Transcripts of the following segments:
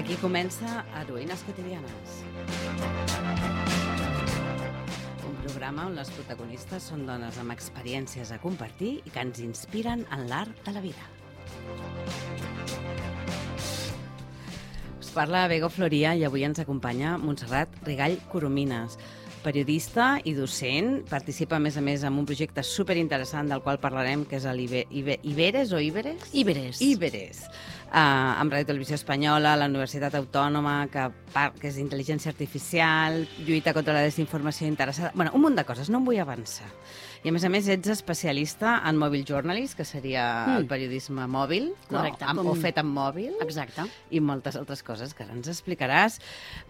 Aquí comença Heroïnes quotidianes. Un programa on les protagonistes són dones amb experiències a compartir i que ens inspiren en l'art de la vida. Us parla Bego Floria i avui ens acompanya Montserrat Rigall Coromines, periodista i docent. Participa, a més, en un projecte superinteressant del qual parlarem, que és l'Iberes o Iberes? Iberes. Amb Ràdio Televisió Espanyola, la Universitat Autònoma, que és intel·ligència artificial, lluita contra la desinformació interessada... Bueno, un munt de coses, no em vull avançar. I, a més, ets especialista en mobile journalism, que seria el periodisme mòbil, correcte, no? O fet amb mòbil. Exacte. I moltes altres coses que ara ens explicaràs.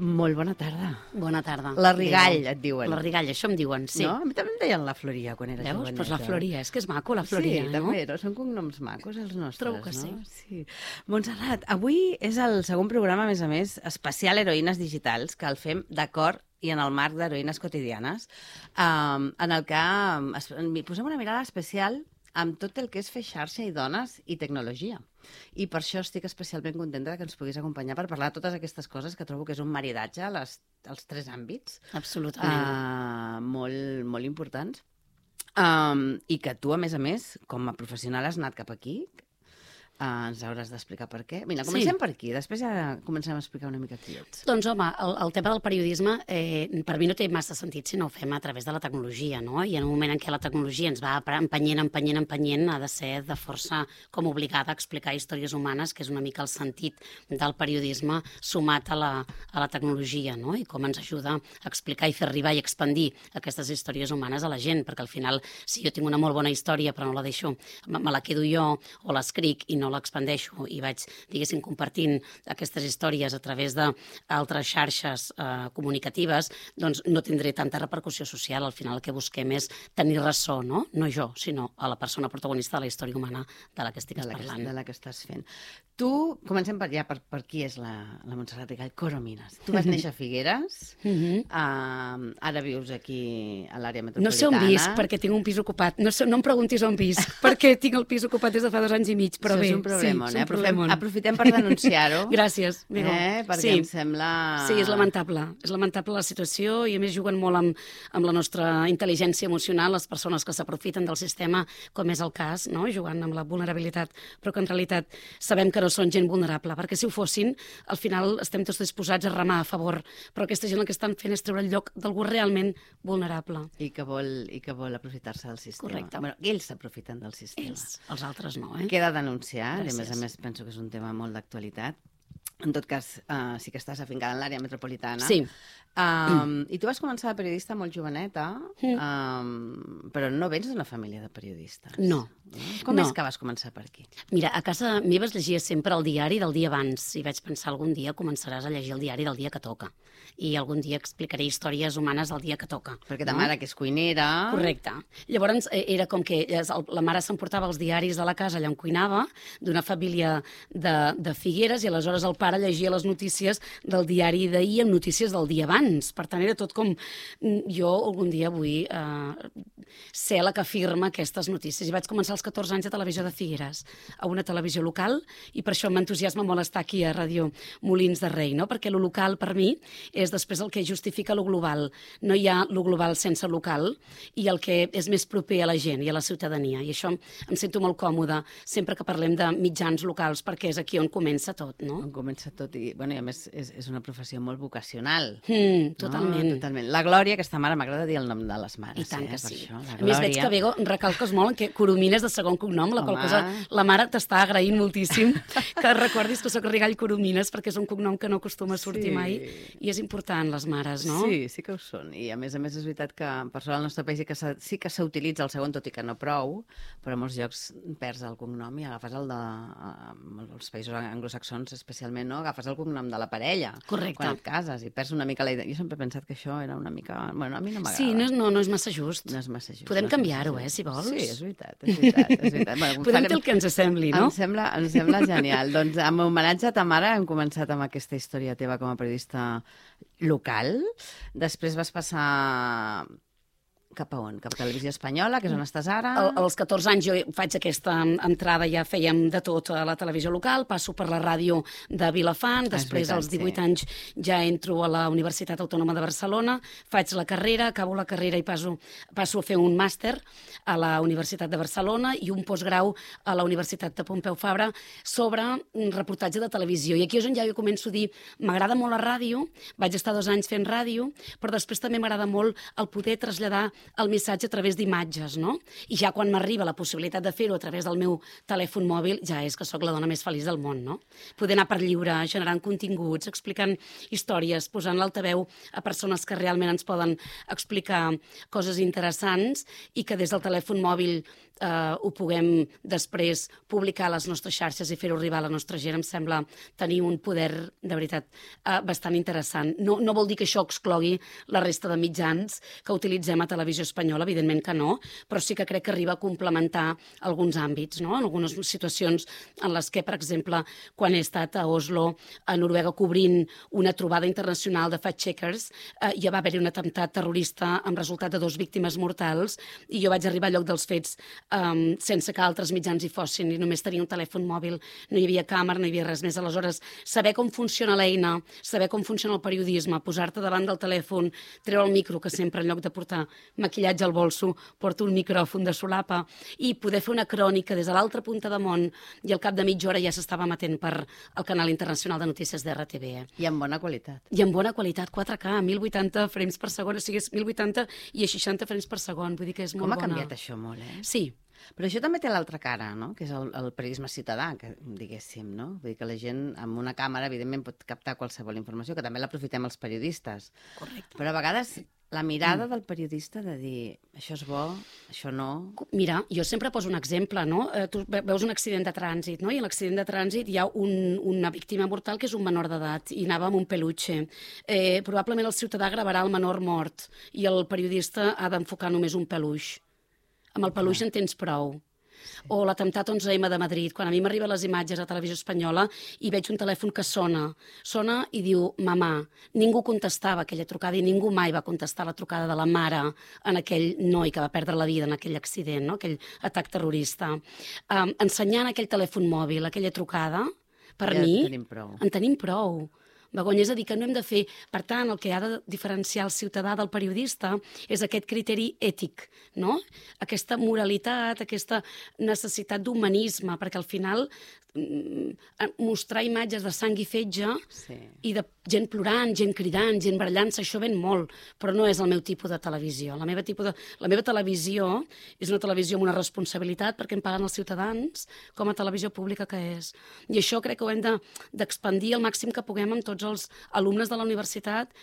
Molt bona tarda. Bona tarda. La Rigall, et diuen. La Rigall, això em diuen, sí. No? A mi també em deien la Floria quan era joveneta. Veus? Doncs la Floria, és que és maco, la Floria, sí, no? També, no? Són cognoms macos, els nostres, trobo que no? sí. Montserrat, avui és el segon programa, a més, especial Heroïnes Digitals, que el fem d'acord i en el marc d'Heroïnes Quotidianes, en el que posem una mirada especial amb tot el que és fer xarxa i dones i tecnologia. I per això estic especialment contenta que ens puguis acompanyar per parlar de totes aquestes coses que trobo que és un maridatge als tres àmbits. Absolutament. Molt importants. I que tu, a més, com a professional has anat cap aquí. Ens hauràs d'explicar per què. Mira, comencem per aquí, després ja comencem a explicar una mica qui ets. Doncs, home, el tema del periodisme per mi no té massa sentit si no ho fem a través de la tecnologia, no? I en un moment en què la tecnologia ens va empenyent, ha de ser de força com obligada a explicar històries humanes, que és una mica el sentit del periodisme sumat a la tecnologia, no? I com ens ajuda a explicar i fer arribar i expandir aquestes històries humanes a la gent, perquè al final, si jo tinc una molt bona història però no la deixo, me la quedo jo o l'escric i no l'expandeixo i vaig, diguéssim, compartint aquestes històries a través d'altres xarxes comunicatives, doncs no tindré tanta repercussió social. Al final el que busquem és tenir ressò, no? No jo, sinó a la persona protagonista de la història humana de la que estic parlant. De la que estàs fent. Tu, comencem per qui és la Montserrat Rigall Coromines. Tu vas néixer a Figueres, ara vius aquí a l'àrea metropolitana. No sé on visc, perquè tinc un pis ocupat. No em preguntis on visc, perquè tinc el pis ocupat des de fa 2 anys i mig, però bé. Un problemon, aprofitem per denunciar-ho. Gràcies, Bego. Perquè em sembla... Sí, és lamentable. És lamentable la situació i a més juguen molt amb la nostra intel·ligència emocional les persones que s'aprofiten del sistema, com és el cas, no? Jugant amb la vulnerabilitat, però que en realitat sabem que no són gent vulnerable, perquè si ho fossin, al final estem tots disposats a remar a favor, però aquesta gent el que estan fent és treure el lloc d'algú realment vulnerable. I que vol aprofitar-se del sistema. Correcte. Bueno, ells s'aprofiten del sistema. Els altres no, Queda denunciar. Gràcies. I a més penso que és un tema molt d'actualitat. En tot cas, sí que estàs afincada en l'àrea metropolitana. Sí. I tu vas començar de periodista molt joveneta, però no vens d'una família de periodistes. No. Com és que vas començar per aquí? Mira, a casa meva es llegia sempre el diari del dia abans i vaig pensar algun dia començaràs a llegir el diari del dia que toca i algun dia explicaré històries humanes del dia que toca. Perquè ta mare, que és cuinera... Correcte. Llavors era com que la mare s'emportava els diaris de la casa allà on cuinava, d'una família de Figueres, i aleshores el pare llegia les notícies del diari d'ahir amb notícies del dia abans. Per tant, era tot com... Jo algun dia vull ser la que afirma aquestes notícies. I vaig començar als 14 anys a Televisió de Figueres, a una televisió local, i per això m'entusiasma molt estar aquí a Ràdio Molins de Rei, no? Perquè lo local, per mi, és després el que justifica lo global. No hi ha lo global sense local, i el que és més proper a la gent i a la ciutadania. I això em sento molt còmoda sempre que parlem de mitjans locals, perquè és aquí on comença tot, no? On comença tot, i a més és una professió molt vocacional. Totalment. No? Totalment. La Glòria, aquesta mare, m'agrada dir el nom de les mares. I tant que sí. Això, a més, veig que, Bego, recalques molt que Coromines de segon cognom, la qual cosa la mare t'està agraint moltíssim que recordis que soc Rigall Coromines, perquè és un cognom que no acostuma a sortir mai, i és important, les mares, no? Sí que ho són. I a més és veritat que per sort al nostre país sí que s'utilitza el segon, tot i que no prou, però en molts llocs perds el cognom i agafes el de... els països anglosaxons especialment, no? Agafes el cognom de la parella. Correcte. Quan et cases i perds una mica la idea. Jo sempre he pensat que això era una mica... Bueno, a mi no m'agrada. Sí, no és massa just. No és massa just. Podem canviar-ho, si vols. Sí, és veritat. Bueno, podem fer el que ens sembli, no? Em sembla genial. Doncs amb homenatge a ta mare hem començat amb aquesta història teva com a periodista local. Després vas passar cap a on? Cap a Televisió Espanyola, que és on estàs ara? Als 14 anys jo faig aquesta entrada, ja fèiem de tot a la televisió local, passo per la ràdio de Vilafant, després als 18 anys ja entro a la Universitat Autònoma de Barcelona, faig la carrera, acabo la carrera i passo a fer un màster a la Universitat de Barcelona i un postgrau a la Universitat de Pompeu Fabra sobre un reportatge de televisió. I aquí és on ja jo començo a dir, m'agrada molt la ràdio, vaig estar 2 anys fent ràdio, però després també m'agrada molt el poder traslladar el missatge a través d'imatges, no? I ja quan m'arriba la possibilitat de fer-ho a través del meu telèfon mòbil, ja és que sóc la dona més feliç del món, no? Poder anar per lliure, generant continguts, explicant històries, posant l'altaveu a persones que realment ens poden explicar coses interessants i que des del telèfon mòbil ho puguem després publicar a les nostres xarxes i fer-ho arribar a la nostra gent, em sembla tenir un poder, de veritat, bastant interessant. No vol dir que això exclogui la resta de mitjans que utilitzem a Televisió Espanyola, evidentment que no, però sí que crec que arriba a complementar alguns àmbits, no? En algunes situacions en les que, per exemple, quan he estat a Oslo, a Noruega, cobrint una trobada internacional de fact-checkers, ja va haver-hi un atemptat terrorista amb resultat de 2 víctimes mortals i jo vaig arribar al lloc dels fets sense que altres mitjans hi fossin i només tenia un telèfon mòbil, no hi havia càmera, no hi havia res més. Aleshores, saber com funciona l'eina, saber com funciona el periodisme, posar-te davant del telèfon, treure el micro, que sempre en lloc de portar maquillatge al bolso, porto un micròfon de solapa i poder fer una crònica des de l'altra punta de món i al cap de mitja hora ja s'estava emetent per el canal internacional de notícies d'RTB. I amb bona qualitat. I amb bona qualitat, 4K, 1080 frames per segon, o sigui, és 1080 i a 60 frames per segon, vull dir que és molt bona. Com ha canviat això molt, eh? Sí. Però això també té l'altra cara, no? Que és el periodisme ciutadà, que diguéssim, no? Vull dir que la gent amb una càmera, evidentment, pot captar qualsevol informació, que també l'aprofitem els periodistes. Correcte. Però a vegades la mirada del periodista de dir això és bo, això no... Mira, jo sempre poso un exemple, no? Tu veus un accident de trànsit, no? I a l'accident de trànsit hi ha una víctima mortal que és un menor d'edat i anava amb un peluche. Probablement el ciutadà gravarà el menor mort i el periodista ha d'enfocar només un peluix. Amb el peluix en tens prou. O l'atemptat 11M de Madrid, quan a mi m'arriben les imatges a Televisió Espanyola i veig un telèfon que sona i diu mamà. Ningú contestava aquella trucada i ningú mai va contestar la trucada de la mare en aquell noi que va perdre la vida en aquell accident, no? Aquell atac terrorista. Ensenyant aquell telèfon mòbil, aquella trucada, per mi, en tenim prou. Begoña, és a dir, que no hem de fer... Per tant, el que ha de diferenciar el ciutadà del periodista és aquest criteri ètic, no? Aquesta moralitat, aquesta necessitat d'humanisme, perquè al final mostrar imatges de sang i fetge i de gent plorant, gent cridant, gent barallant-se, això ven molt, però no és el meu tipus de televisió. La meva televisió és una televisió amb una responsabilitat perquè em paguen els ciutadans com a televisió pública que és. I això crec que ho hem d'expandir al màxim que puguem amb tots els alumnes de la universitat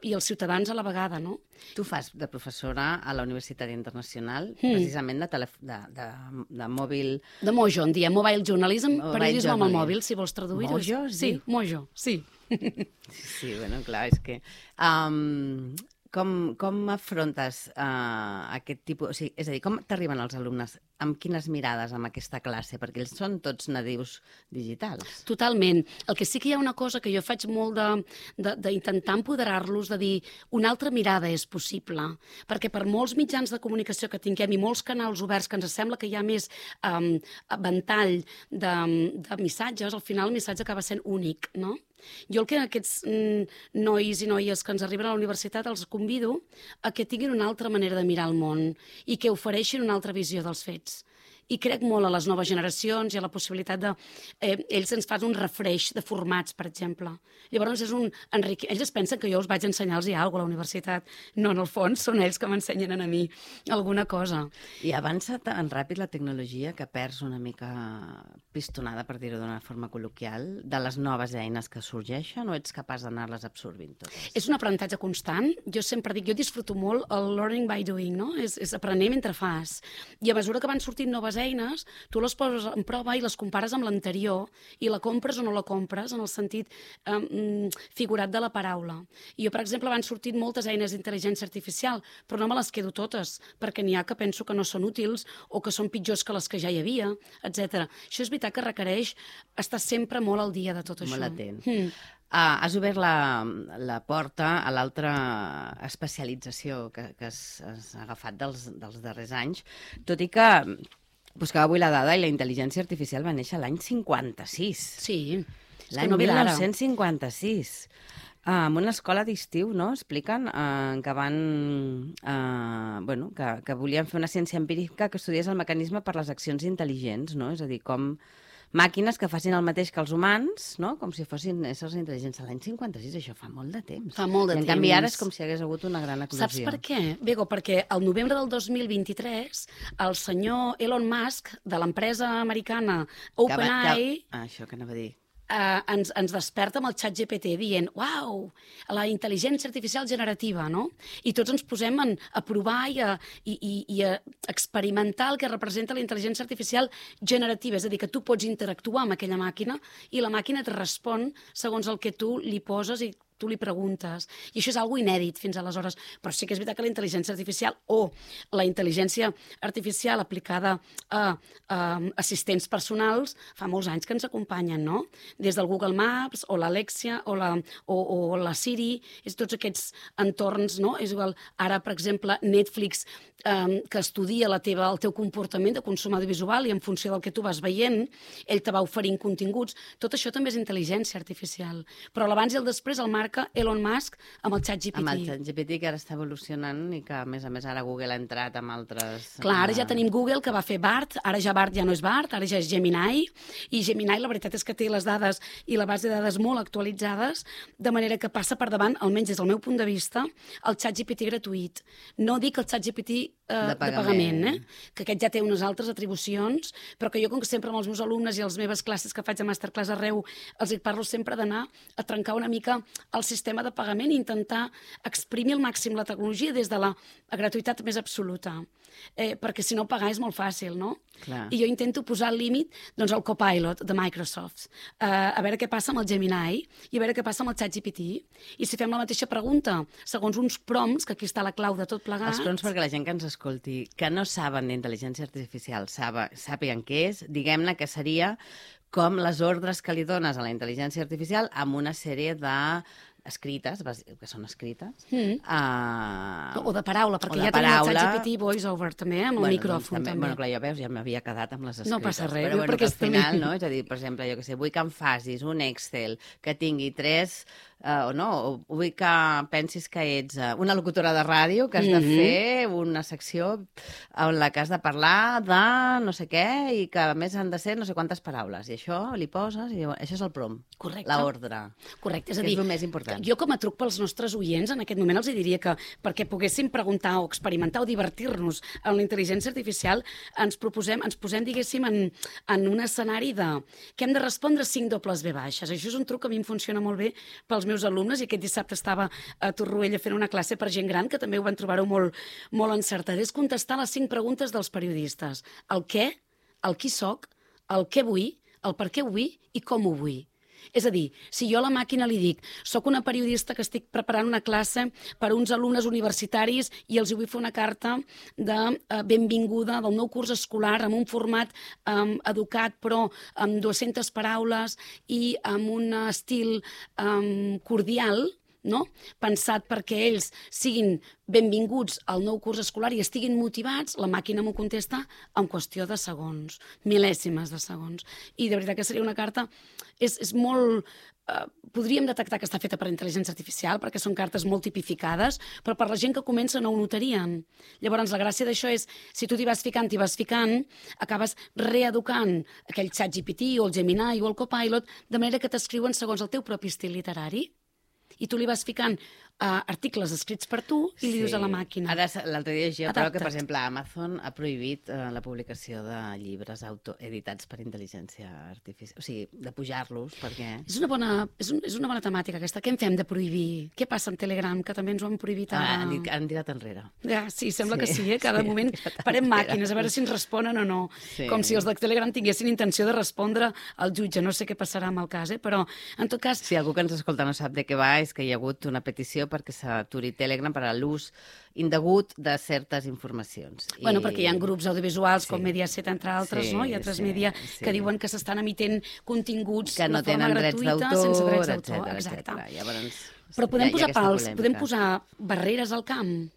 i els ciutadans a la vegada, no? Tu fas de professora a la Universitat Internacional, precisament de mòbil... De Mojo, en diem Mobile Journalism, periodisme amb el mòbil, si vols traduir-ho. Mojo? Sí, Mojo, sí. Sí, bueno, clar, és que... Com afrontes aquest tipus... O sigui, és a dir, com t'arriben els alumnes? Amb quines mirades amb aquesta classe? Perquè ells són tots nadius digitals. Totalment. El que sí que hi ha una cosa que jo faig molt d'intentar empoderar-los, de dir una altra mirada és possible. Perquè per molts mitjans de comunicació que tinguem i molts canals oberts que ens sembla que hi ha més ventall de missatges, al final el missatge acaba sent únic, no? Jo el que aquests nois i noies que ens arriben a la universitat els convido a que tinguin una altra manera de mirar el món i que ofereixin una altra visió dels fets. I crec molt a les noves generacions i a la possibilitat de... ells ens fan un refresh de formats, per exemple. Llavors és un enriquiment. Ells es pensen que jo us vaig ensenyar-los alguna cosa a la universitat. No, en el fons són ells que m'ensenyen a mi alguna cosa. I avança tan ràpid la tecnologia que perds una mica pistonada, per dir-ho d'una forma col·loquial, de les noves eines que sorgeixen, o ets capaç d'anar-les absorbint totes? És un aprenentatge constant. Jo sempre dic, jo disfruto molt el learning by doing, no? És aprendre mentre fas. I a mesura que van sortint noves eines, tu les poses en prova i les compares amb l'anterior i la compres o no la compres en el sentit figurat de la paraula. I jo, per exemple, van sortint moltes eines d'intel·ligència artificial, però no me les quedo totes, perquè n'hi ha que penso que no són útils o que són pitjors que les que ja hi havia, etc. Això és veritat que requereix estar sempre molt al dia de tot això. Molt atent. Has obert la porta a l'altra especialització que has agafat dels darrers anys, tot i que buscava avui la dada i la intel·ligència artificial va néixer l'any 56. Sí, l'any no ve d'ara. 1956. En una escola d'estiu, no?, expliquen que van... que volien fer una ciència empírica que estudiés el mecanisme per les accions intel·ligents, no? És a dir, com màquines que facin el mateix que els humans, no?, com si fossin éssers intel·ligents. L'any 56, això fa molt de temps. Fa molt de temps. I en canvi ara és com si hagués hagut una gran eclosió. Saps per què, Bego? Perquè al novembre del 2023 el senyor Elon Musk, de l'empresa americana OpenAI... Això que anava a dir. Ens desperta amb el xat GPT dient uau, la intel·ligència artificial generativa, no? I tots ens posem a provar i a experimentar el que representa la intel·ligència artificial generativa, és a dir, que tu pots interactuar amb aquella màquina i la màquina et respon segons el que tu li poses i tu li preguntes. I això és algo inèdit fins aleshores. Però sí que és veritat que la intel·ligència artificial o la intel·ligència artificial aplicada a assistents personals fa molts anys que ens acompanyen, no? Des del Google Maps o l'Alexia o la Siri, és tots aquests entorns, no? És igual, ara, per exemple, Netflix, que estudia el teu comportament de consum audiovisual i en funció del que tu vas veient, ell te va oferint continguts. Tot això també és intel·ligència artificial. Però l'abans i el després el marca Elon Musk amb el ChatGPT. Amb el ChatGPT, que ara està evolucionant i que, a més, ara Google ha entrat amb altres... Clar, ara ja tenim Google, que va fer Bard, ara ja Bard ja no és Bard, ara ja és Gemini, i Gemini la veritat és que té les dades i la base de dades molt actualitzades, de manera que passa per davant, almenys des del meu punt de vista, el ChatGPT gratuït. No dic el ChatGPT de pagament, que aquest ja té unes altres atribucions, però que jo, com que sempre amb els meus alumnes i les meves classes que faig a Masterclass arreu, els parlo sempre d'anar a trencar una mica el sistema de pagament i intentar exprimir al màxim la tecnologia des de la gratuïtat més absoluta. Perquè si no pagar és molt fàcil, no? Clar. I jo intento posar al límit doncs, el Copilot de Microsoft, a veure què passa amb el Gemini i a veure què passa amb el ChatGPT. I si fem la mateixa pregunta, segons uns prompts, que aquí està la clau de tot plegat... Els prompts, perquè la gent que ens escolti, que no saben d'intel·ligència artificial, sàpiguen què és, diguem-ne que seria com les ordres que li dones a la intel·ligència artificial amb una sèrie de escrites, que són escrites. O de paraula, perquè ja tenim el ChatGPT voice-over també, amb el micròfon. També. Bueno, clar, ja veus, ja m'havia quedat amb les escrites. No passa res. Però bueno, que al final, no? És a dir, per exemple, jo que sé, vull que em facis un Excel que tingui 3... o vull que pensis que ets una locutora de ràdio, que has de fer una secció en la que has de parlar de no sé què i que a més han de ser no sé quantes paraules. I això li poses i això és el prompt. Correcte. L'ordre. Correcte, és a dir, dir, és el més important. Jo com a truc pels nostres oients en aquest moment els diria que perquè poguéssim preguntar o experimentar o divertir-nos en la intel·ligència artificial ens posem, diguéssim, en un escenari que hem de respondre 5 dobles V baixes. Això és un truc que a mi em funciona molt bé pels meus alumnes i aquest dissabte estava a Torroella fent una classe per gent gran que també ho van trobar-ho molt encertat. És contestar les 5 preguntes dels periodistes. El què, el qui soc, el què vull, el per què ho vull i com ho vull. És a dir, si jo a la màquina li dic soc una periodista que estic preparant una classe per a uns alumnes universitaris i els vull fer una carta de benvinguda del nou curs escolar amb un format educat però amb 200 paraules i amb un estil cordial, no? Pensat perquè ells siguin benvinguts al nou curs escolar i estiguin motivats, la màquina m'ho contesta en qüestió de segons, mil·lèsimes de segons. I de veritat que seria una carta... És molt... podríem detectar que està feta per intel·ligència artificial perquè són cartes molt tipificades, però per la gent que comença no ho notarien. Llavors, la gràcia d'això és, si tu t'hi vas ficant, acabes reeducant aquell ChatGPT o el Gemini o el Copilot de manera que t'escriuen segons el teu propi estil literari. I tu li vas ficant articles escrits per tu i li dius a la màquina. Ara, l'altre dia llegia, però que, per exemple, Amazon ha prohibit la publicació de llibres autoeditats per intel·ligència artificial. O sigui, de pujar-los, perquè... És una bona temàtica, aquesta. Què en fem de prohibir? Què passa amb Telegram, que també ens ho han prohibit ara? Han tirat enrere. Ja, sí, sembla que sí, Cada moment parem màquines, a veure si ens responen o no. Sí. Com si els de Telegram tinguessin intenció de respondre al jutge. No sé què passarà amb el cas, però, en tot cas... Si algú que ens escolta no sap de què va, és que hi ha hagut una petició aplicació perquè s'aturi Telegram per a l'ús indegut de certes informacions. Bueno, perquè hi ha grups audiovisuals com Sí. Mediaset, entre altres, Sí, no? I altres sí, media sí. que diuen que s'estan emetent continguts Que no de forma tenen drets gratuïta, d'autor, sense drets d'autor. etcètera, Exacte. etcètera. Llavors, Però podem hi ha posar aquesta pals, polèmica. podem posar barreres al camp?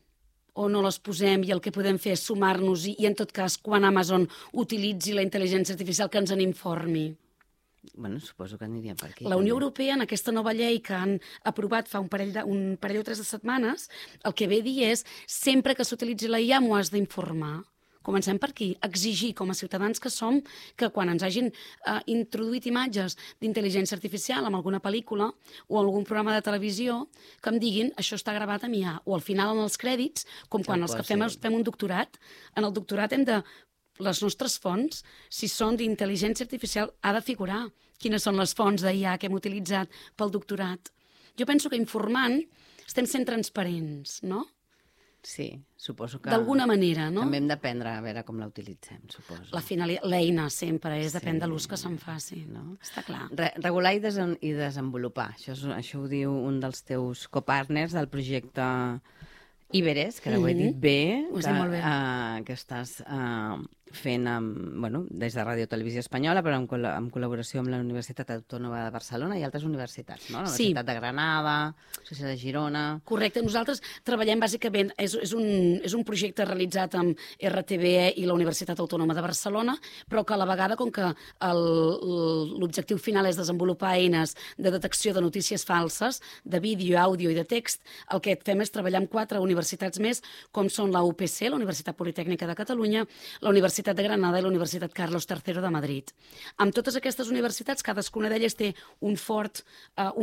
O no les posem i el que podem fer és sumar-nos i en tot cas, quan Amazon utilitzi la intel·ligència artificial, que ens en informi? Bueno, suposo que aniria per aquí. La Unió també. Europea, en aquesta nova llei que han aprovat fa un parell o 3 de setmanes, el que ve a dir és sempre que s'utilitzi la IA m'ho has d'informar. Comencem per aquí, exigir com a ciutadans que som que quan ens hagin introduït imatges d'intel·ligència artificial en alguna pel·lícula o algun programa de televisió, que em diguin això està gravat amb IA. O al final en els crèdits, com quan els que fem un doctorat, en el doctorat hem de les nostres fonts, si són d'intel·ligència artificial, ha de figurar quines són les fonts d'IA que hem utilitzat pel doctorat. Jo penso que informant estem sent transparents, no? Sí, suposo que... D'alguna manera, no? També hem d'aprendre a veure com la utilitzem, suposo. L'eina sempre és, depèn de l'ús que se'n faci. No? Està clar. Regular i desenvolupar. Això ho diu un dels teus copartners del projecte Iberes, que ara ho he dit bé, Ho has dit molt bé. que estàs fent des de Ràdio Televisió Espanyola, però en col·laboració amb la Universitat Autònoma de Barcelona i altres universitats, no? La Sí. Universitat de Granada, la Societat de Girona... Correcte. Nosaltres treballem bàsicament, és un projecte realitzat amb RTBE i la Universitat Autònoma de Barcelona, però que a la vegada, com que l'objectiu final és desenvolupar eines de detecció de notícies falses, de vídeo, àudio i de text, el que fem és treballar amb 4 universitats més, com són la UPC, la Universitat Politècnica de Catalunya, la Universitat de Granada i la Universitat Carlos III de Madrid. Amb totes aquestes universitats, cadascuna d'elles té un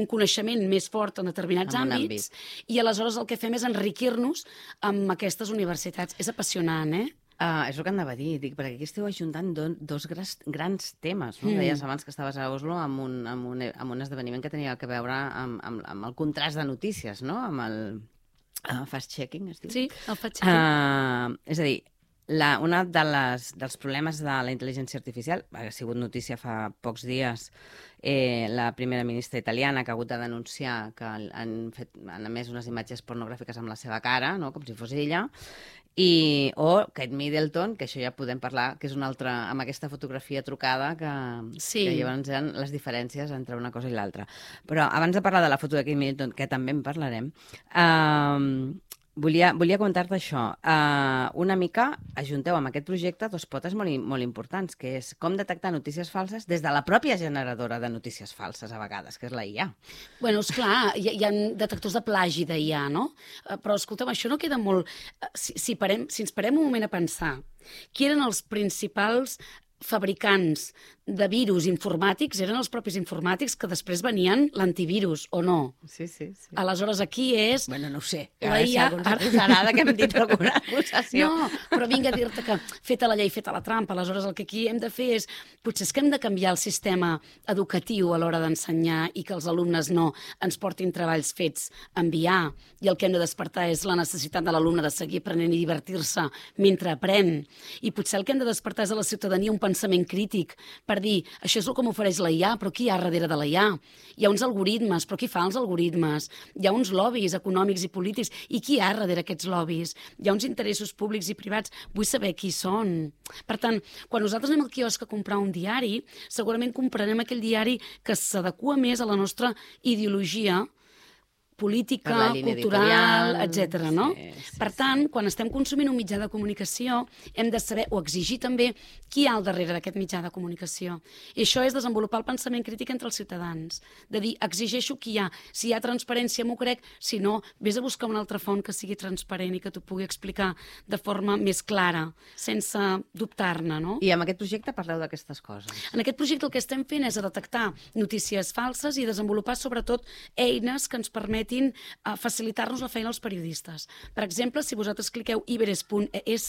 coneixement més fort en determinats En un àmbits, i aleshores el que fem és enriquir-nos amb aquestes universitats. És apassionant, eh? És el que anava a dir, dic, perquè aquí esteu ajuntant dos grans temes. No? Deies abans que estaves a Oslo amb un esdeveniment que tenia a veure amb el contrast de notícies, no? Amb el fast-checking, es diu? Sí, el fact-checking. És a dir, una dels problemes de la intel·ligència artificial, ha sigut notícia fa pocs dies, la primera ministra italiana que ha hagut de denunciar que han emès unes imatges pornogràfiques amb la seva cara, no? Com si fos ella, o Kate Middleton, que això ja podem parlar, que és una altra, amb aquesta fotografia trucada, que llavors hi ha les diferències entre una cosa i l'altra. Però abans de parlar de la foto de Kate Middleton, que també en parlarem, volia comentar-te això. Una mica ajunteu amb aquest projecte 2 potes molt importants, que és com detectar notícies falses des de la pròpia generadora de notícies falses, a vegades, que és la IA. Bueno, esclar, hi ha detectors de plagi d'IA, no? Però, escolta'm, això no queda molt... Si ens parem un moment a pensar, qui eren els principals fabricants de virus informàtics eren els propis informàtics que després venien l'antivirus, o no? Sí. Aleshores, aquí és... Bueno, no ho sé. La IA... Ara que hem dit alguna acusació. No, però vinga a dir-te que feta la llei, feta la trampa. Aleshores, el que aquí hem de fer és... Potser és que hem de canviar el sistema educatiu a l'hora d'ensenyar i que els alumnes no ens portin treballs fets a enviar, i el que hem de despertar és la necessitat de l'alumne de seguir aprenent i divertir-se mentre aprèn. I potser el que hem de despertar és a la ciutadania un pensament crític per dir, això és el que m'ofereix la IA, però qui hi ha darrere de la IA? Hi ha uns algoritmes, però qui fa els algoritmes? Hi ha uns lobbies econòmics i polítics, i qui hi ha darrere aquests lobbies? Hi ha uns interessos públics i privats, vull saber qui són. Per tant, quan nosaltres anem al quiosc a comprar un diari, segurament comprarem aquell diari que s'adequa més a la nostra ideologia política, cultural, etc. No? Per tant, quan estem consumint un mitjà de comunicació, hem de saber o exigir també qui hi ha al darrere d'aquest mitjà de comunicació. I això és desenvolupar el pensament crític entre els ciutadans, de dir, exigeixo qui hi ha. Si hi ha transparència, m'ho crec, si no, vés a buscar una altra font que sigui transparent i que t'ho pugui explicar de forma més clara, sense dubtar-ne, no? I amb aquest projecte parleu d'aquestes coses. En aquest projecte el que estem fent és detectar notícies falses i desenvolupar sobretot eines que ens permetin facilitar-nos la feina als periodistes. Per exemple, si vosaltres cliqueu iberes.es,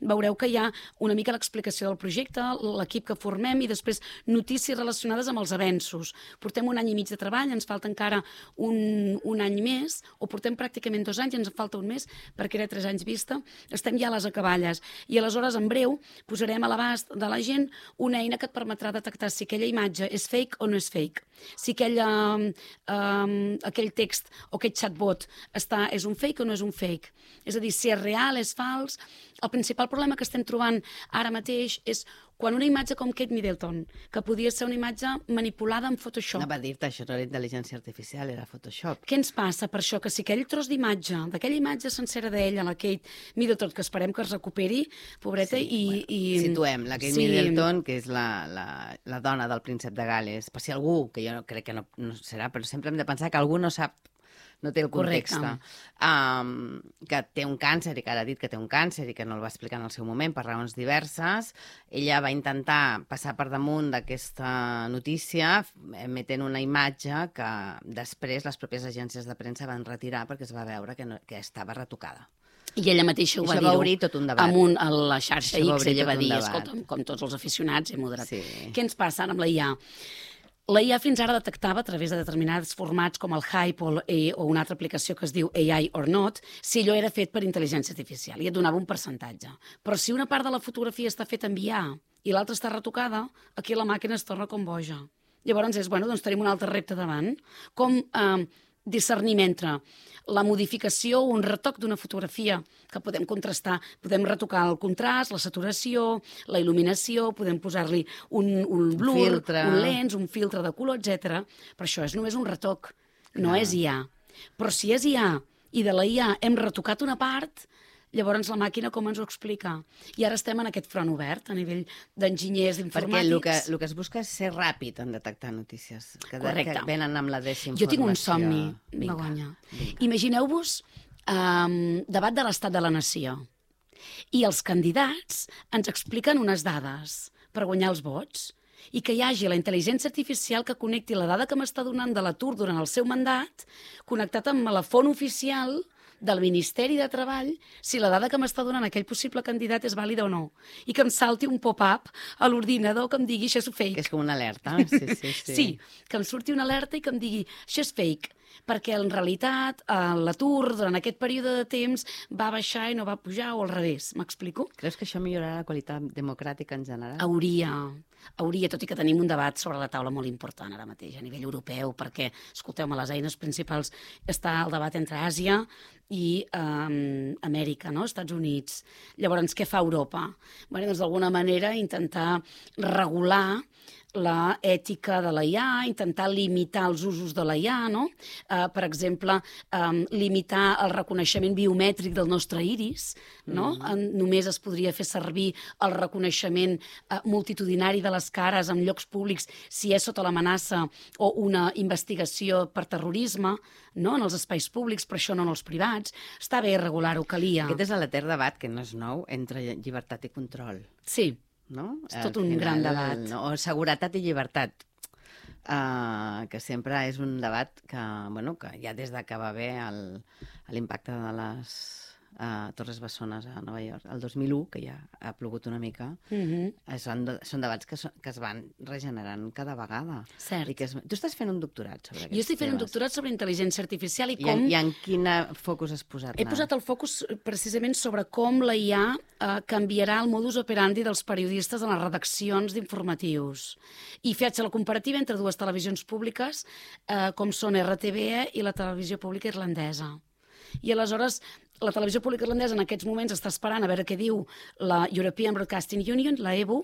veureu que hi ha una mica l'explicació del projecte, l'equip que formem i després notícies relacionades amb els avenços. Portem 1 any i mig de treball, ens falta encara un any més, o portem pràcticament 2 anys, ens en falta un més, perquè era 3 anys vista. Estem ja a les acaballes. I aleshores, en breu, posarem a l'abast de la gent una eina que et permetrà detectar si aquella imatge és fake o no és fake. Si aquell text o aquest chatbot és un fake o no és un fake. És a dir, si és real, és fals. El principal problema que estem trobant ara mateix és quan una imatge com Kate Middleton, que podia ser una imatge manipulada en Photoshop. Va dir-te, això no era intel·ligència artificial, era Photoshop. Què ens passa per això? Que si aquell tros d'imatge, d'aquella imatge sencera d'ella, la Kate Middleton, que esperem que es recuperi, pobreta, Situem, la Kate Middleton, que és la dona del príncep de Gales, per si algú, que jo crec que no serà, però sempre hem de pensar que algú no sap, no té el context, que té un càncer i que ara ha dit que té un càncer i que no el va explicar en el seu moment per raons diverses. Ella va intentar passar per damunt d'aquesta notícia emetent una imatge que després les pròpies agències de premsa van retirar perquè es va veure que estava retocada. I ella mateixa ho va dir tot un debat. a la xarxa X, ella va dir, escolta, com tots els aficionats, he moderat. Què ens passa ara amb la IA? La IA fins ara detectava a través de determinats formats com el Hype o una altra aplicació que es diu AI or Not si allò era fet per intel·ligència artificial i et donava un percentatge. Però si una part de la fotografia està feta en IA i l'altra està retocada, aquí la màquina es torna com boja. Llavors doncs tenim un altre repte davant. Com discernim entre la modificació o un retoc d'una fotografia que podem contrastar, podem retocar el contrast, la saturació, la il·luminació, podem posar-li un blur, un lens, un filtre de color, etc. Però això és només un retoc, no és IA. Però si és IA i de la IA hem retocat una part, llavors la màquina com ens ho explica? I ara estem en aquest front obert a nivell d'enginyers informàtics. Perquè el que es busca és ser ràpid en detectar notícies que venen amb la desinformació. Jo tinc un somni, Begoña. Imagineu-vos debat de l'estat de la nació i els candidats ens expliquen unes dades per guanyar els vots i que hi hagi la intel·ligència artificial que connecti la dada que m'està donant de l'atur durant el seu mandat connectat amb la font oficial del Ministeri de Treball si la dada que m'està donant aquell possible candidat és vàlida o no. I que em salti un pop-up a l'ordinador que em digui això és fake. Que és com una alerta. Sí, que em surti una alerta i que em digui això és fake, perquè en realitat l'atur durant aquest període de temps va baixar i no va pujar o al revés. M'explico? Creus que això millorarà la qualitat democràtica en general? Hauria, tot i que tenim un debat sobre la taula molt important ara mateix a nivell europeu, perquè, escolteu-me, les eines principals està el debat entre Àsia i Amèrica, no? Estats Units. Llavors, què fa Europa? Bé, doncs, d'alguna manera, intentar regular la ètica de la IA, intentar limitar els usos de la IA, no? Per exemple, limitar el reconeixement biomètric del nostre iris, no? Només es podria fer servir el reconeixement multitudinari de les cares en llocs públics si és sota l'amenaça o una investigació per terrorisme, no? En els espais públics, però això no en els privats. Està bé regular-ho, calia. Aquest és l'etern debat, que no és nou, entre llibertat i control. Sí. No? És tot un gran debat. O seguretat i llibertat, que sempre és un debat que ja des que va haver l'impacte de les Torres Bessones a Nova York, el 2001, que ja ha plogut una mica, són debats que es van regenerant cada vegada. Cert. Tu estàs fent un doctorat sobre aquests temes. Jo estic fent un doctorat sobre intel·ligència artificial i com... I en quin focus has posat? He posat el focus precisament sobre com la IA canviarà el modus operandi dels periodistes en les redaccions d'informatius. I faig la comparativa entre dues televisions públiques, com són RTVE i la televisió pública irlandesa. I aleshores la televisió pública irlandesa en aquests moments està esperant a veure què diu la European Broadcasting Union, la EBU,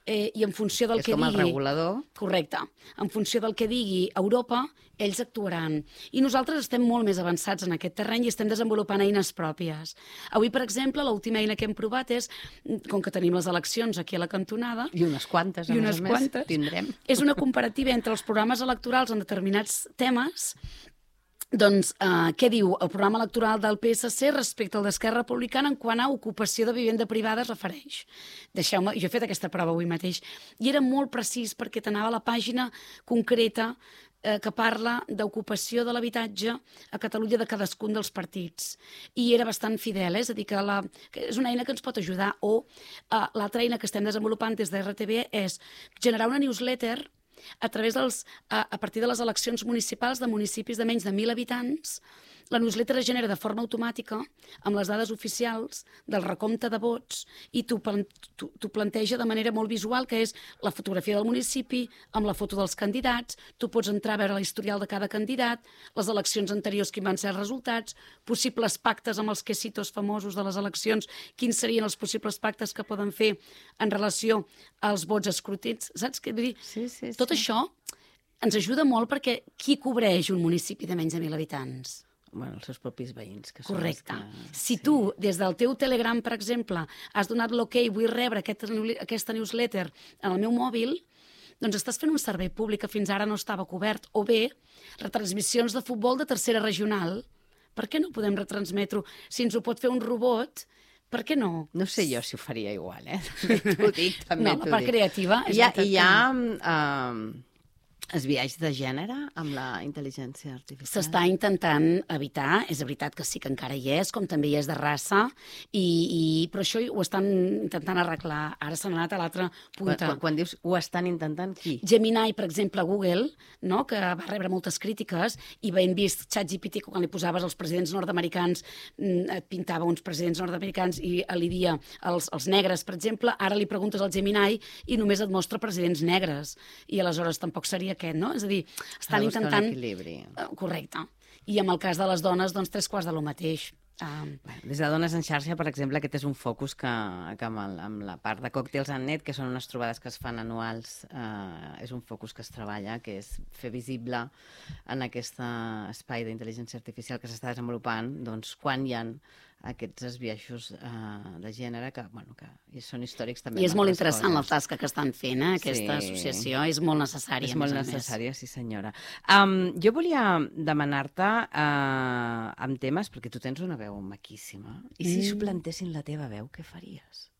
i en funció del que digui... És com el regulador. Correcte. En funció del que digui Europa, ells actuaran. I nosaltres estem molt més avançats en aquest terreny i estem desenvolupant eines pròpies. Avui, per exemple, l'última eina que hem provat és, com que tenim les eleccions aquí a la cantonada... I unes quantes, a més, tindrem. És una comparativa entre els programes electorals en determinats temes. Doncs, què diu el programa electoral del PSC respecte al d'Esquerra Republicana en quant a ocupació de vivenda privada es refereix? Deixeu-me, jo he fet aquesta prova avui mateix, i era molt precís perquè t'anava a la pàgina concreta que parla d'ocupació de l'habitatge a Catalunya de cadascun dels partits. I era bastant fidel, és a dir, que és una eina que ens pot ajudar. O l'altra eina que estem desenvolupant des de RTV és generar una newsletter a partir de les eleccions municipals de municipis de menys de 1.000 habitants la newsletter es genera de forma automàtica amb les dades oficials del recompte de vots i t'ho planteja de manera molt visual, que és la fotografia del municipi, amb la foto dels candidats, tu pots entrar a veure l'historial de cada candidat, les eleccions anteriors, quins van ser els resultats, possibles pactes amb els quesitos famosos de les eleccions, quins serien els possibles pactes que poden fer en relació als vots escrutits, saps què vull dir? Sí. Tot això ens ajuda molt perquè qui cobreix un municipi de menys de 1.000 habitants? Bueno, els seus propis veïns. Que són Correcte. que... Si tu, des del teu Telegram, per exemple, has donat l'ok, vull rebre aquesta newsletter en el meu mòbil, doncs estàs fent un servei públic que fins ara no estava cobert. O bé, retransmissions de futbol de tercera regional. Per què no podem retransmetre-ho? Si ens ho pot fer un robot, per què no? No sé jo si ho faria igual, T'ho dic, també no, la part creativa és I hi ha esbiaix de gènere amb la intel·ligència artificial? S'està intentant evitar, és veritat que sí que encara hi és, com també hi és de raça, però això ho estan intentant arreglar. Ara s'han anat a l'altra punta. Quan dius ho estan intentant, qui? Gemini, per exemple, Google, no? Que va rebre moltes crítiques, i ben vist ChatGPT, quan li posaves els presidents nord-americans, et pintava uns presidents nord-americans i alidia els negres, per exemple. Ara li preguntes al Gemini i només et mostra presidents negres. I aleshores tampoc seria aquest, no? És a dir, estan intentant... un equilibri. Correcte. I amb el cas de les dones, doncs, 3/4 de lo mateix. Des de Dones en xarxa, per exemple, aquest és un focus que amb la part de Còctels en net, que són unes trobades que es fan anuals, és un focus que es treballa, que és fer visible en aquest espai d'intel·ligència artificial que s'està desenvolupant, doncs, quan hi ha aquests esbiaixos de gènere que són històrics també. I és molt interessant la tasca que estan fent, aquesta associació, és molt necessària. És molt necessària, sí senyora. Jo volia demanar-te amb temes, perquè tu tens una veu maquíssima, i si suplantessin la teva veu, què faries?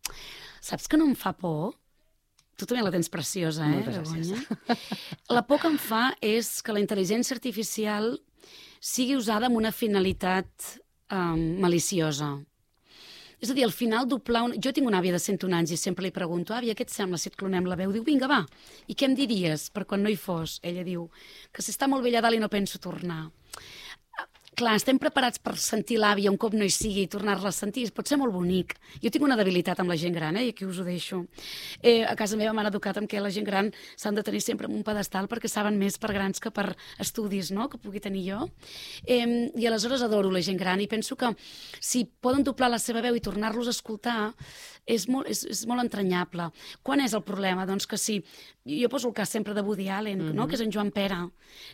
Saps que no em fa por? Tu també la tens preciosa, Moltes gràcies. La por que em fa és que la intel·ligència artificial sigui usada amb una finalitat maliciosa. És a dir, al final doblar... Jo tinc una àvia de 101 anys i sempre li pregunto, àvia, què et sembla si et clonem la veu? Diu, vinga, va, i què em diries per quan no hi fos? Ella diu, que s'està molt bé allà dalt i no penso tornar. Clar, estem preparats per sentir l'àvia un cop no hi sigui i tornar-la a sentir. Pot ser molt bonic. Jo tinc una debilitat amb la gent gran, i aquí us ho deixo. A casa meva m'han educat amb que la gent gran s'han de tenir sempre en un pedestal perquè saben més per grans que per estudis, no?, que pugui tenir jo. I aleshores adoro la gent gran i penso que si poden doblar la seva veu i tornar-los a escoltar és molt entranyable. Quan és el problema? Doncs que si... Jo poso el cas sempre de Woody Allen, no?, que és en Joan Pera.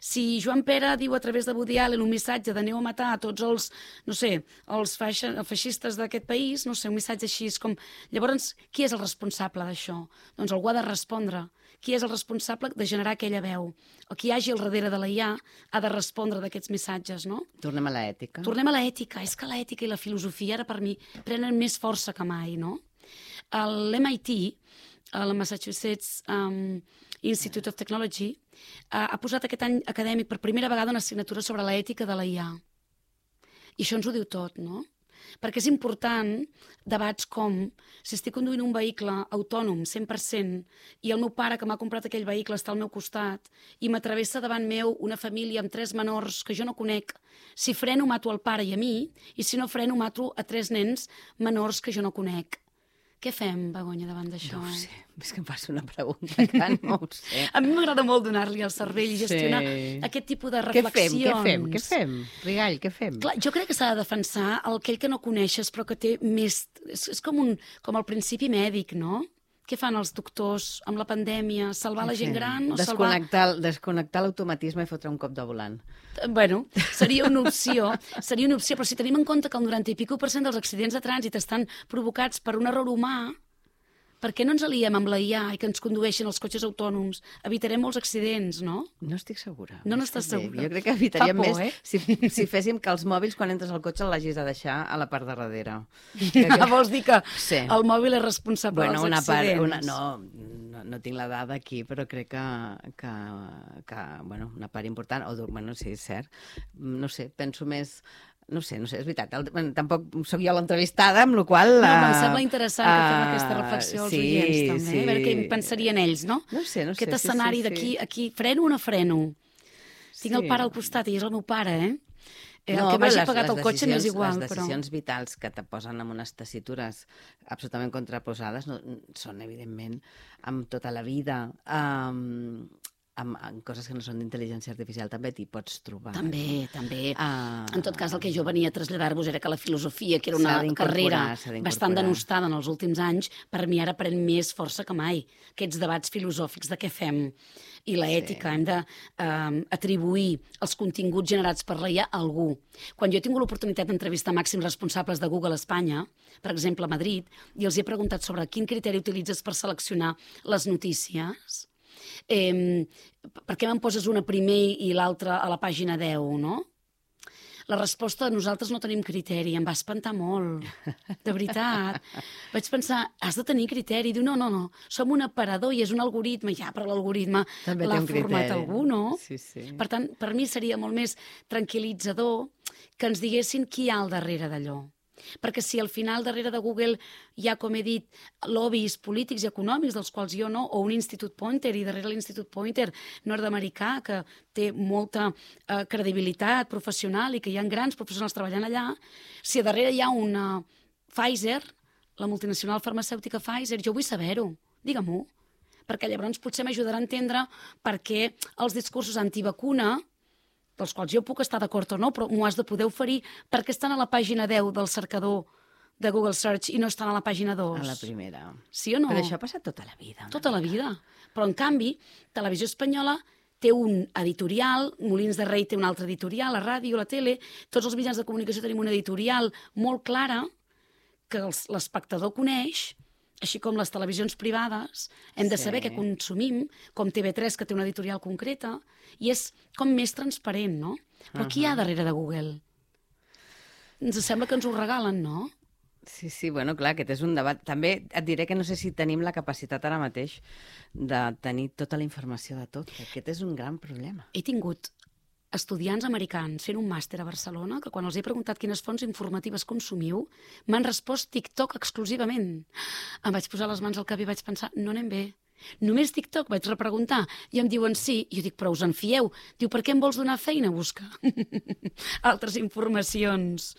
Si Joan Pera diu a través de Woody Allen un missatge de aneu a matar a tots els, no sé, els feixistes d'aquest país, no sé, un missatge així, com... Llavors, qui és el responsable d'això? Doncs algú ha de respondre. Qui és el responsable de generar aquella veu? O qui hi hagi al darrere de la IA ha de respondre d'aquests missatges, no? Tornem a l'ètica. Tornem a l'ètica. És que l'ètica i la filosofia ara per mi prenen més força que mai, no? L'MIT, el Massachusetts Institute of Technology, ha posat aquest any acadèmic per primera vegada una assignatura sobre l'ètica de la IA. I això ens ho diu tot, no? Perquè és important debats com si estic conduint un vehicle autònom 100% i el meu pare que m'ha comprat aquell vehicle està al meu costat i m'atravessa davant meu una família amb 3 menors que jo no conec, si freno mato al pare i a mi i si no freno mato a 3 nens menors que jo no conec. Què fem, Begoña, davant d'això? No ho sé, és que em fas una pregunta que no ho sé. A mi m'agrada molt donar-li al cervell i gestionar aquest tipus de reflexions. Què fem? Rigall, què fem? Clar, jo crec que s'ha de defensar aquell que no coneixes però que té més... És com el principi mèdic, no? Què fan els doctors amb la pandèmia? Salvar la gent gran o desconnectar l'automatisme i fotre un cop de volant. Bueno, seria una opció, però si tenim en compte que el 90 i pico % dels accidents de trànsit estan provocats per un error humà, per què no ens aliem amb la IA i que ens condueixin els cotxes autònoms? Evitarem molts accidents, no? No estic segura. No n'estàs segura? Jo crec que evitaríem més si féssim que els mòbils, quan entres al cotxe, l'hagis de deixar a la part de darrere. Vols dir que el mòbil és responsable dels accidents? No tinc la dada aquí, però crec que una part important, sí, és cert. No sé, penso més... No sé, és veritat. Tampoc sóc jo l'entrevistada, amb la qual cosa... No, em sembla interessant que fem aquesta reflexió als oients, també. A veure què pensarien ells, no? No sé. Aquest escenari d'aquí, freno o no freno? Tinc el pare al costat i és el meu pare, El que m'hagi pagat el cotxe m'és igual. Les decisions vitals que te posen en unes tessitures absolutament contraposades són, evidentment, amb tota la vida, amb coses que no són d'intel·ligència artificial també t'hi pots trobar. També. En tot cas, el que jo venia a traslladar-vos era que la filosofia, que era una carrera bastant denostada en els últims anys, per mi ara pren més força que mai. Aquests debats filosòfics de què fem i l'ètica, hem d'atribuir els continguts generats per la IA a algú. Quan jo he tingut l'oportunitat d'entrevistar màxims responsables de Google a Espanya, per exemple a Madrid, i els he preguntat sobre quin criteri utilitzes per seleccionar les notícies, per què me'n poses una primer i l'altra a la pàgina 10, no? La resposta, nosaltres no tenim criteri, em va espantar molt, de veritat. Vaig pensar, has de tenir criteri. Diu, no, som un aparador i és un algoritme. Ja, però l'algoritme l'ha format algú, no? Sí. Per tant, per mi seria molt més tranquil·litzador que ens diguessin qui hi ha al darrere d'allò. Perquè si al final darrere de Google hi ha, com he dit, lobbies polítics i econòmics dels quals jo no, o un Institut Pointer, i darrere l'Institut Pointer nord-americà, que té molta credibilitat professional i que hi ha grans professionals treballant allà, si a darrere hi ha una Pfizer, la multinacional farmacèutica Pfizer, jo vull saber-ho, digue-m'ho, perquè llavors potser m'ajudarà a entendre per què els discursos antivacuna, dels quals jo puc estar d'acord o no, però m'ho has de poder oferir, perquè estan a la pàgina 10 del cercador de Google Search i no estan a la pàgina 2. A la primera. Sí o no? Però això ha passat tota la vida. Tota la vida. Però, en canvi, Televisió Espanyola té un editorial, Molins de Rei té un altre editorial, la ràdio, la tele, tots els mitjans de comunicació tenim una editorial molt clara que l'espectador coneix, així com les televisions privades, hem de saber què consumim, com TV3, que té una editorial concreta, i és com més transparent, no? Però qui hi ha darrere de Google? Ens sembla que ens ho regalen, no? Sí, bueno, clar, aquest és un debat. També et diré que no sé si tenim la capacitat ara mateix de tenir tota la informació de tot, que aquest és un gran problema. He tingut estudiants americans fent un màster a Barcelona que quan els he preguntat quines fonts informatives consumiu, m'han respost TikTok exclusivament. Em vaig posar les mans al cap i vaig pensar, no anem bé. Només TikTok? Vaig repreguntar i em diuen sí. Jo dic, però us en fieu? Diu, per què em vols donar feina a buscar altres informacions?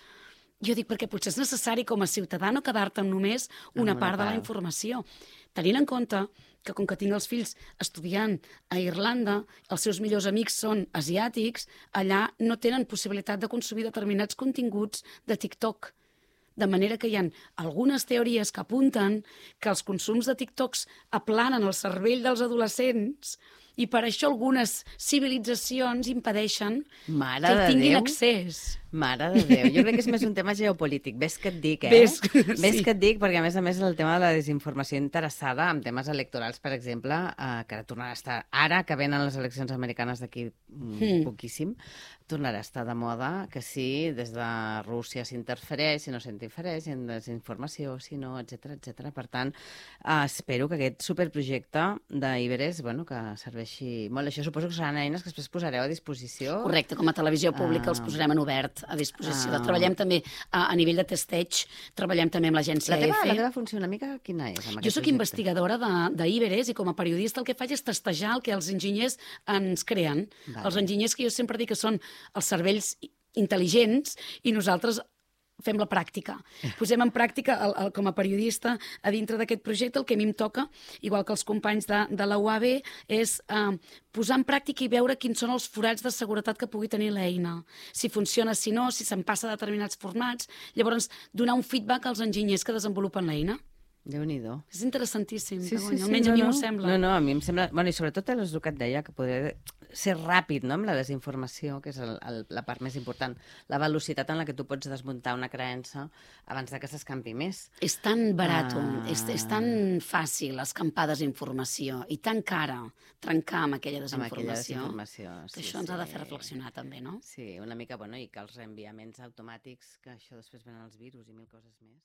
Jo dic, perquè potser és necessari com a ciutadà no quedar-te amb només una part de la informació. Tenint en compte que com que tinc els fills estudiant a Irlanda, els seus millors amics són asiàtics, allà no tenen possibilitat de consumir determinats continguts de TikTok. De manera que hi ha algunes teories que apunten que els consums de TikToks aplanen el cervell dels adolescents i per això algunes civilitzacions impedeixen que hi tinguin accés. Mare de Déu, jo crec que és més un tema geopolític. Ves que et dic, Ves que et dic, perquè a més el tema de la desinformació interessada en temes electorals, per exemple, que tornarà a estar, ara que venen les eleccions americanes d'aquí poquíssim, tornarà a estar de moda que sí, des de Rússia s'interfereix, si no s'interfereix, en desinformació, si no, etc. Per tant, espero que aquest superprojecte d'Iberes, bueno, que serveixi molt. Això suposo que seran eines que després posareu a disposició. Correcte, com a televisió pública els posarem en obert a disposició. Treballem també a nivell de testeig, treballem també amb l'agència EFE. La teva funció una mica quina és? Jo soc investigadora d'Iberes i com a periodista el que faig és testejar el que els enginyers ens creen. Els enginyers que jo sempre dic que són els cervells intel·ligents i nosaltres fem la pràctica. Posem en pràctica, com a periodista, a dintre d'aquest projecte, el que a mi em toca, igual que els companys de la UAB, és posar en pràctica i veure quins són els forats de seguretat que pugui tenir l'eina. Si funciona, si no, si se'n passa a determinats formats. Llavors, donar un feedback als enginyers que desenvolupen l'eina. Déu-n'hi-do. És interessantíssim, almenys a mi m'ho sembla. No, a mi em sembla... Bueno, i sobretot el que et deia, que podria ser ràpid, no?, amb la desinformació, que és la part més important. La velocitat en la que tu pots desmuntar una creença abans que s'escampi més. És tan barat, és tan fàcil escampar desinformació i tan cara trencar amb aquella desinformació. Que això ens ha de fer reflexionar també, no? Sí, una mica, bueno, i que els reenviaments automàtics, que això després venen els virus i mil coses més.